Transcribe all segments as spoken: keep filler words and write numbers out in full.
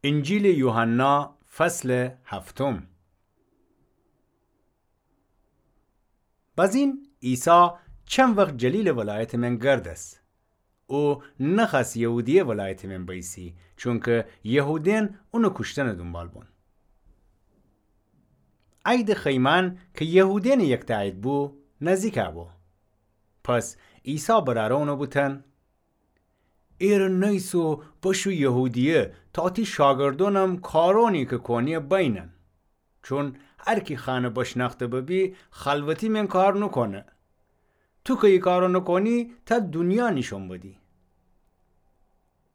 انجیلٚ یوحنا، فصلٚ هفتم. بزین عیسی چند وخت جلیلٚ ولایتٚ مین گردس. او نخوأست یهودیه ولایتٚ مین بئیسی، چونکه یهودأن اونٚ کوشتنٚ دونبال بون. عیدٚ خیمأن کی یهودأنٚ یکتأ عید بو، نزدیک بو. پس عیسی برأرٚ اونٚ بوتن: ایرٚ نیسو، بشو یهودیه، تا تی شاگردأنم کارأنی کی کونی بینن. چون هر کی خانه بشنأخته ببی، خلوتی مین کار نوکونه. تو کی ای کارأ نوکونی، تا دونیا نیشون بدی.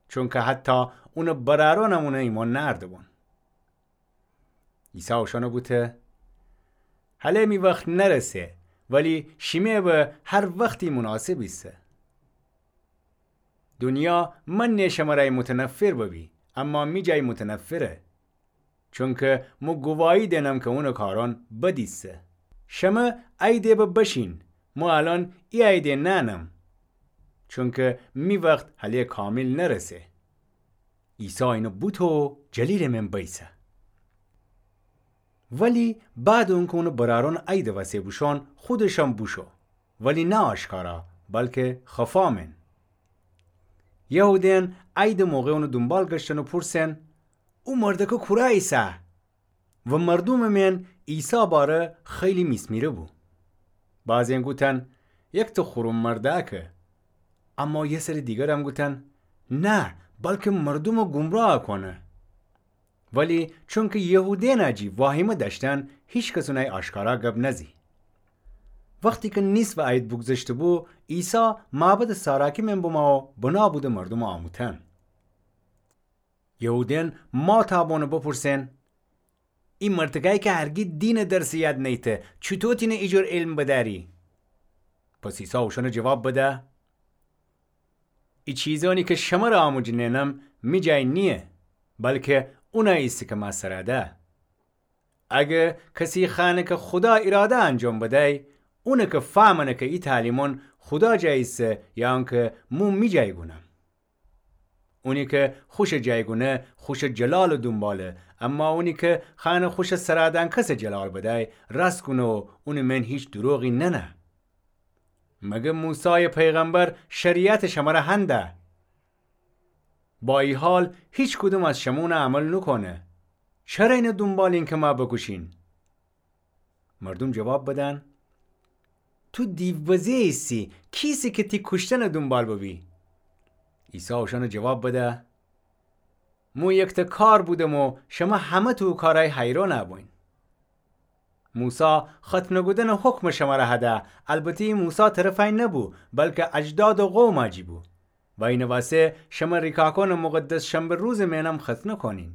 چونکه حتی اونٚ برأرأنم اونٚ ایمأن نأرده بون. عیسی اوشأنٚ بوته: هله می وخت نرسه، ولی شیمه به هر وختی مناسب ایسه. دونیا منٚ شمرأ متنفر ببی، اما می جای متنفره. چونکه مو گواهی دینم کی اونٚ کارأن بد ایسه. شمه عیده به بشین، مو الأن ای عیده نأنم. چونکه می وخت هله کامل نرسه. عیسی اینه بوته و جلیلٚ مین بئیسه. ولی بعدٚ اونکی اونٚ برأرأن عیدٚ وسه بوشون، خودشم بوشو. ولی نه آشکارا، بلکه خفا مین. یهودأن عیدٚ موقع اونٚ دونبال گشتن و پورسن: او مردکه کورا ایسه؟ و مردومٚ مین عیسی باره خیلی میسمیره بو. بعضی‌یأن گوتن: یکته خورم مردأکه. اما یه سری دیگرم گوتن: نه، بلکه مردومٚ گمراه کونه. ولی چونکه یهودأن جی واهیمه دأشتن، هیکس اونأی آشکارا گب نزی. وختی کی نیصفٚ عید بوگذشته بو، عیسی معبدٚ ساراکی مین بمو و بنا بوده مردومٚ آموتن. یهودأن ماتأ بون و بپورسن: ای مردکأی کی هرگی دینٚ درسٚ یاد نیته، چوطو تینه ایجور علم بدأری؟ پس عیسی اوشأنٚ جواب بده: ای چیزأنی کی شمرأ آموجه نئنم می جای نییه، بلکه اونأ ایسه کی مأ سرأ ده. اگه کسی خأنه کی خودا ایراده انجام بدأی، اونٚ کی فهمأنه کی ای تعلیمأن خودا جای ایسه یا اونکی مو می جای گونم. اونی کی خوشٚ جای گونه، خوشٚ جلالٚ دونباله، اما اونی کی خأنه خوشٚ سرأ دأنکسٚ جلال بدأی، راست گونه و اونٚ مین هیچ دروغی نأنه. مگر موسایٚ پیغمبر شریعت شمرأ هنده؟ با ای حال هیکدوم از شمه اونأ عمل نوکونه. چره اینه دونبالین کی مأ بکوشین؟ مردوم جواب بدن: تو دیوبزه ایسی، کی ایسی کی تی کوشتنٚ دونبال ببی؟ عیسی اوشأنٚ جواب بده: مو یکته کار بودم و شمه همه تو او کارأی حیرأن بوین. موسی ختنه کودنٚ حکم شمرأ هده، البته ای موسی طرفأی نبو، بلکه اجدادٚ قومٚ جی بو. و اینٚ وسه شمه ریکاکأنٚ مقدس شنبه روزٚ مینم ختنه کونین.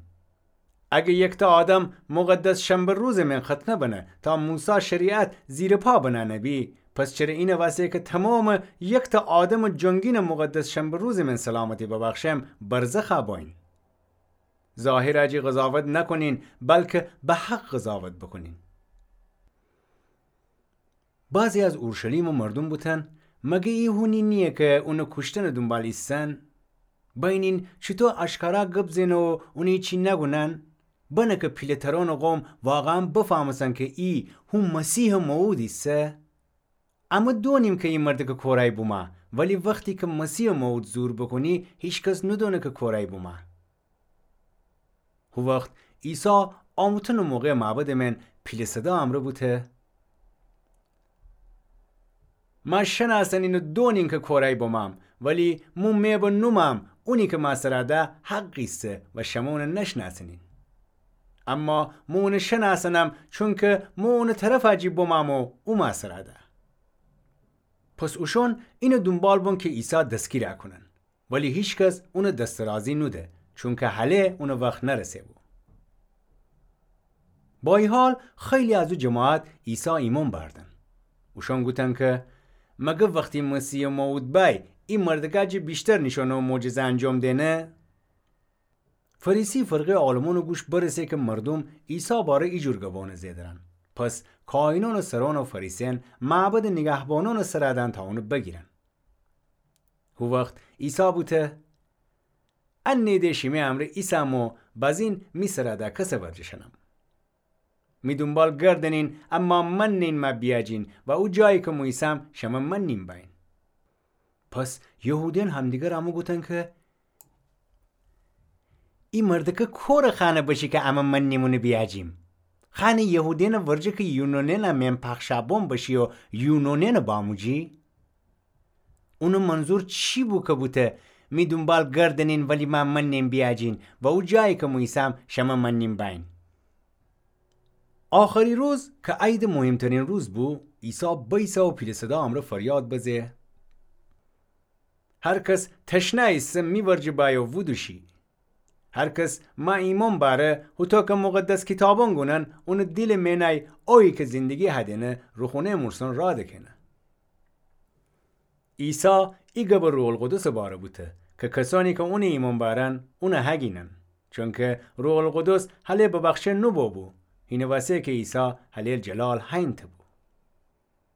اگه یکته آدم مقدس شنبه روزٚ مین ختنه بنه تا موسی شریعت زیرٚ پا بنأنه بی، پس چره اینٚ وسه کی تومامٚ یکته آدمٚ جنگینٚ مقدس شنبه روزٚ مین سلامتی ببخشم، برزخ بوین. ظاهرٚ جی قضاوت نکونین، بلکه به حق قضاوت بوکونین. بعضی از اورشلیمٚ مردوم بوتن: مگه ای هونی نییه کی اونٚ کوشتنٚ دونبال ایسن؟ بینین چوطو آشکارا گب زئنه و اونٚ هیچی نگونن؟ بنه کی پیله‌ترأنٚ قوم واقعاً بفهمسن کی ای هو مسیحٚ موعود ایسه. امه دونیم کی ای مردکٚ کورأی بومه، ولی وختی کی مسیحٚ موعود ظهور بوکونی، هیکس نودونه کی کورأی بومه. هو وخت عیسی آموتنٚ موقع معبدٚ مین پیله صدا امرأ بوته: مأ شنأسنین و دونین کی کورأی بومم، ولی مو مئ به نومم، اونی کی مأ سرأ ده حق ایسه و شمه اون نشنأسنین. اما مو اون شنأسنم، چونکی مو اونٚ طرفٚ جی بومم و او مأ سرأ ده. پس اوشون اینٚ دونبال بون کی عیسی دستگیرٚ کونن. ولی هیکس اونٚ دسترازی نوده، چونکی هله اونٚ وخت نرسه بو. با ای حال خیلی از او جماعت عیسی ایمأن بأردن. اوشون گوتن کی مگر وختی مسیحٚ موعود بأی، ای مردکٚ جی ویشتر نیشأنه و معجزه انجام دئنه؟ فریسی فرقه‌یٚ عالمأنٚ گوش برسه کی مردوم عیسی باره ایجور گبأن زئدرن. پس کاهینأنٚ سرأن و فریسیأن معبدٚ نیگهبانأنٚ سرأ دأن تا اون بگیرن. هو وخت عیسی بوته: انه ده شیمه امرأ ایسم و بازین می سرا دکسٚ ورجه شنم. می دونبال گردنین، اما مننین مه بیاجین و او جایی که مو ایسم شمه مننین بأیین. پس یهودیأن همدیگرٚ امو گوتن که ای مردکه کورٚ خانه بشی که امه مننیم اونه بیاجیم؟ خانه یهودیأنٚ ورجه که یونانیأنٚ مئن پخشابون بشی و یونانیأنٚ باموجی؟ اونٚ منظور چی بو که بوته، می دونبال گردنین ولی مه مننین بیاجین و او جایی که مو ایسم شمه مننین بأیین؟ آخری روز که عیدٚ مهمترین روز بو، عیسی بأیسه و پیله صدا امرأ فریاد بزه: هر کس تشنه ایسه می ورجه بأیه و ودوشی. هر کس مه ایمأن بأره، هوطو که مقدس کیتابأن گونن، اونٚ دیلٚ مئنای اویی که زندگی هدینه روخونه‌یٚ مرسأن راه دکهنه. عیسی ای گبه روح‌القدسٚ باره بوته که کسأنی که اونٚ ایمأن بأرن، اونٚ هگینن. چونکه روح‌القدس هله ببخشه نوبوبو، هینٚ وسه که عیسی هله‌یٚ جلال هینته بو.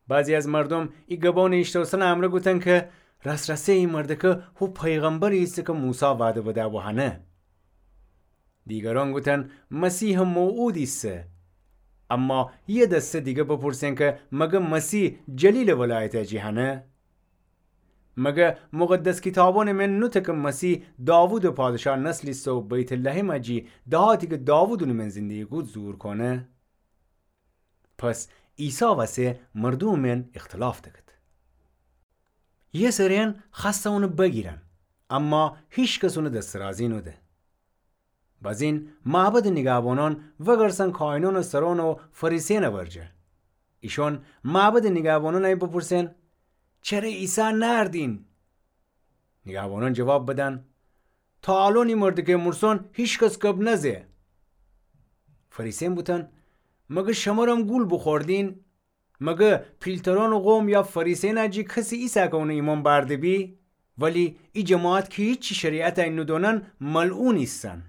بعضی از مردوم ای گبأنٚ ایشتوسنٚ امرأ گوتن که راس‌راسی ای مردکه هو پیغمبری ایسه که موسی وعده بده‌بو هنه. دیگرأن گوتن مسیحٚ موعود ایسه. اما یه دسته دیگه بپرسن که مگه مسیح جلیلٚ ولایته جی هنه؟ مگه مقدس کیتابأنٚ مئن نوته که مسیح داوودٚ پادشاه نسل ایسه و بیت‌لحمه جی دهاتی که داوود اونٚ مئن زندگی کود ظهور کونه؟ پس عیسی وسه مردومٚ مئن اختلاف دکد. یه سری‌یأن خوأسته اونٚ بگیرن، اما هیکس اونٚ دسترازی نوده. بزین معبدٚ نیگهبانأن وگرسن کاهنأنٚ سرأن و فریسیأنٚ ورجه. ایشأن معبدٚ نیگهبانأنٚ ای بپرسن: چره عیسی نأردین؟ نیگهبانأن جواب بدن: تا الأن ای مردکه مرسأن هیکس گب نزه. فریسیأن بوتن: مگه شمرم گول بوخوردین؟ مگه پیلترأنٚ قوم یا فریسیأنٚ جی کسی ایسه که اونٚ ایمأن بأرده بی؟ ولی ای جماعت که هیچی شریعتٚ ای نودونن ملعون ایسن.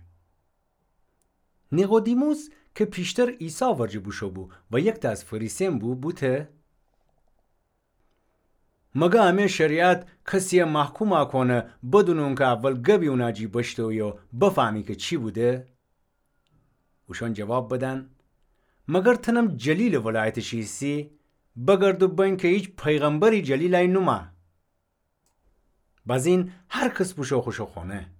نیقودیموس که پیشتر عیسی ورجه بوشو بو و یکته از فریسیأن بو، بوته: مگه امه شریعت کسیی محکوم کونه بدون اونکه اول گبی اونٚ جی بشتویی و بفهمی که چی بوده؟ اوشأن جواب بدن: مگر تنم جلیلٚ ولایتٚ شی ایسی؟ بگرد و ببین که هیچ پیغمبری جلیلٚ ای نومه. بزین هر کس بوشو خوشٚ خونه.